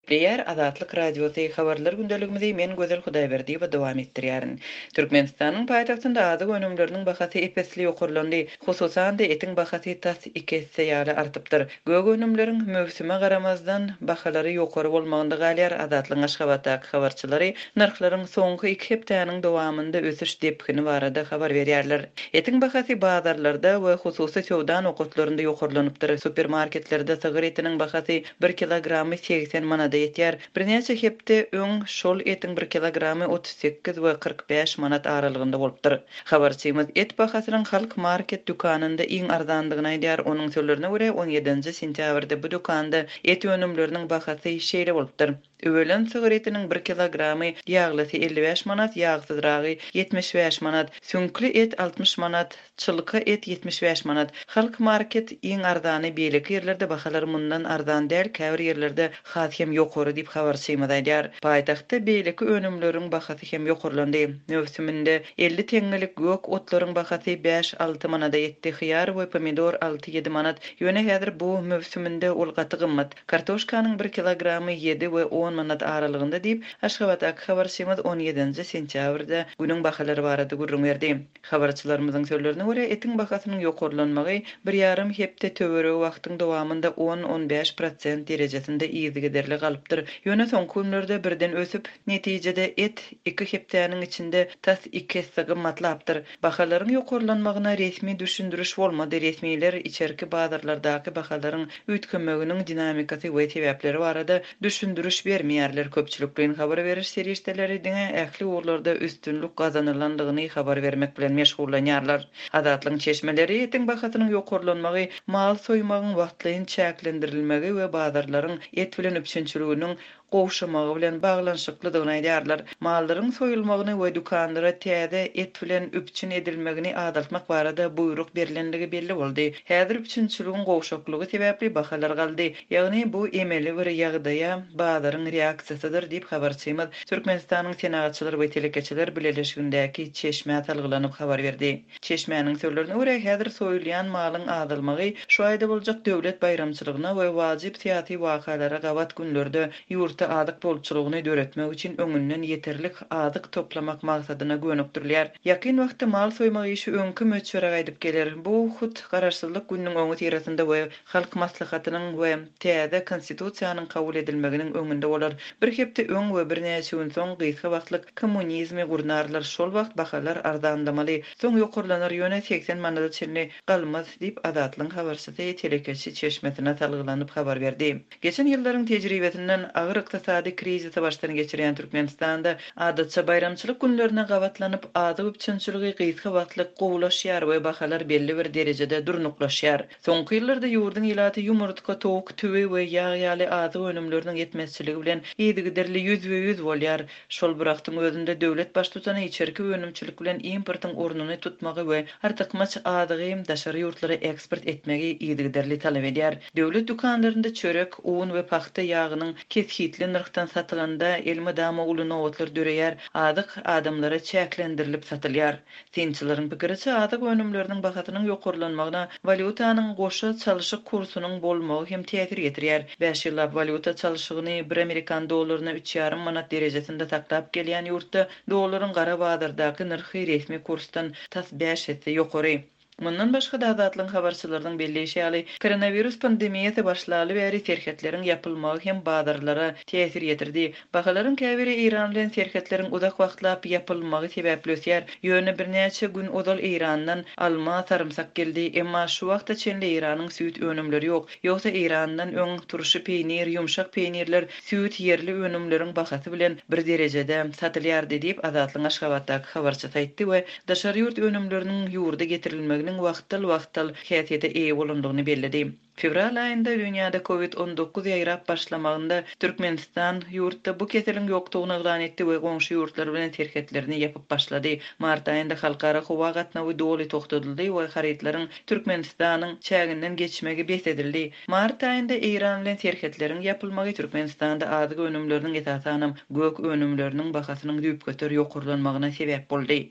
Gepleýär Azatlyk Radiosy, Habarlar gündeligimizi men Gözel Hudaýberdiýewa dowam etdirýärin. Türkmenistanyň paýtagtynda azyk önümleriniň bahasy ep-esli ýokarlandy. Hususan-da, etiň bahasy tas iki esse ýaly artypdyr. Gök önümleriň, möwsüme garamazdan, bahalary ýokary bolmagynda galýar. Azatlygyň Aşgabatdaky habarçylary nyrhlaryň soňky iki hepdäniň dowamynda ösüş depgini barada habar berýärler. Etiň bahasy bazarlarda we hususy söwda nokatlarynda ýokarlanypdyr. Supermarketlerde sygyr etiniň bahasy Bir kilogramy 80 manada ýetýär. Birnäçe hepde öň şol etiň bir kilogramy 38 we 45 manat aralygynda bolupdyr. Habarçymyz et bahasynyň Halk Market dükanynda iň arzandygyny aýdýar. Onuň sözlerine görä, on ýedinji sentýabrda bu dükanda et önümleriniň bahasy şeýle bolupdyr. Üwelen sygyr etiniň bir kilogramy ýaglysy 55 manat, ýagsyzragy 75 manat, süňkli et 60 manat, Çylka et 75 manat. Halk market iň arzany beýleki ýerlerde bahalar mundan arzan däl käbir ýerlerde has hem ýokary diýip habarçymyz aýdýar. Paýtagtda beýleki önümleriň bahasy hem ýokarlandy. Möwsüminde 50 teňňelik gök otlaryň bahasy bäş-alty manada ýetdi hyýar we pomidor alty-ýedi manat ýöne häzir bu möwsüminde ol gaty gymmat. Kartoşkanyň bir kilogramy ýedi we on manat aralygynda diýip Aşgabatdaky habarçymyz on ýedinji sentýabrda günüň bahalary barada gürrüň berdi. Habarçylarymyzyň sözlerine görä, etiň bahasynyň ýokarlanmagy bir ýarym hepde töweregi wagtyň dowamynda on-on bäş prosent derejesinde yzygiderli galypdyr. Ýöne soňky günlerde birden ösüp, netijede et iki hepdäniň içinde tas iki esse gymmatlapdyr. Bahalaryň ýokarlanmagyna resmi düşündiriş bolmady, resmiler içerki bazarlardaky bahalaryň üýtgemeginiň dinamikasy we sebäpleri barada düşündiriş bermeýärler. Köpçülikleýin habar beriş serişdeleri diňe ähli ugurlarda üstünlik gazanylandygyny habar bermek bilen meşgullanýarlar. Azatlygyň çeşmeleri etiň bahasynyň ýokarlanmagy, mal soýmagyň wagtlaýyn çäklendirilmegi we bazarlaryň et bilen üpjünçiliginiň gowşamagy bilen baglanyşyklydygyny aýdýarlar. Mallaryň soýulmagyny we dükanlara täze et bilen üpjün edilmegini azaltmak barada buýruk berlendigi belli boldy. Häzir üpjünçiligiň gowşaklygy sebäpli bahalar galdy. Ýagny bu emeli bir ýagdaýa bazaryň reaksiýasydyr diýip, habarçymyz Türkmenistanyň Senagatçylar we telekeçiler bileleşigindäki çeşmä salgylanyp habar berdi. Çeşmäniň sözlerine görä, häzir soýulýan malyň azalmagy şu aýda boljak döwlet baýramçylygyna we wajyp syýasy wakalara gabat günlerde ýurtda azyk bolçulygyny döretmek üçin öňünden ýeterlik azyk toplamak maksadyna gönükdirilýär. Ýakyn wagtda mal soýmak işi öňki möçbere gaýdyp geler. Bu hut Garaşsyzlyk gününiň öňüsyrasynda we Halk Maslahatynyň we täze Konstitusiýanyň kabul edilmeginiň öňünde bolar. Bir hepde öň we birnäçe gün soň gysga wagtlyk kommunizmi gurnarlar, şol wagt bahalar arzanlamaly, soň ýokarlanar, ýöne 80 manada çenli galmaz diýip, Azatlygyň habarçysy telekeçi çeşmesine salgylanyp habar berdi. Geçen ýyllaryň tejribesinden agyr ykdysady krizisi başdan geçirýän Türkmenistanda adatça baýramçylyk günlerine gabatlanyp azyk üpjünçiligi gysga wagtlyk gowulaşýar we bahalar belli bir derejede durnuklaşýar. Soňky ýyllarda ýurduň ilaty ýumurtga, towuk, tüwi we ýag ýaly azyk önümleriniň ýetmezçiligi bilen yzygiderli ýüzbe-ýüz bolýar. Şol bir wagtyň özünde döwlet baştutany içerki önümçilik bilen importyň ornuny tutmagy we artykmaç azygy daşary ýurtlara eksport etmegi yzygiderli talap edýär. Döwlet dükanlarynda çörek, un we pagta ýagynyň kesgitli nyrhdan satylanda elmydama uly nobatlar döreýär, azyk adamlara çäklendirilip satylýar. Synçylaryň pikiriçe, azyk önümleriniň bahasynyň ýokarlanmagyna walýutanyň goşa çalşyk kursunyň bolmagy hem täsir ýetirýär. Bäş ýyllap walýuta çalşygyny bir amerikan dollaryna üç ýarym manat derejesinde saklap gelýän ýurtda dollaryň gara bazardaky nyrhy resmi kursdan tas bäş esse ýokary. Mundan başga-da, Azatlygyň habarçylarynyň belleýşi ýaly, koronawirus pandemiýasy başlaly bäri serhetleriň ýapylmagy hem bazarlara täsir ýetirdi. Bahalaryň käbiri Eýran bilen serhetleriň uzak wagtlap ýapylmagy sebäpli ösýär. Ýöne birnäçe gün ozal Eýrandan alma, sarymsak geldi. Emma şu wagta çenli Eýranyň süýt önümleri ýok. Ýogsa Eýrandan öň turşy peýnir, ýumşak peýnirler, süýt ýerli önümleriň bahasy bilen bir derejede satylýardy diýip, Azatlygyň Aşgabatdaky habarçysy aýtdy we daşary ýurt önümleriniň ýurda getirilmeginiň wagtal-wagtal häsiýete eýe bolandygyny belledi. Fewral aýynda dünýäde Covid 19 ýaýrap başlamagynda Türkmenistan ýurtda bu keseliň ýokdugyny yglan etdi we goňşy ýurtlar bilen serhetlerini ýapyp başlady. Mart aýynda halkara howa gatnawy doly togtadyldy we harytlaryň Türkmenistanyň çäginden geçmegi bes edildi. Mart aýynda Eýran bilen serhetleriň ýapylmagy Türkmenistanda azyk önümleriniň, esasanam, gök önümleriniň bahasynyň düýpgöter ýokarlanmagyna sebäp boldy.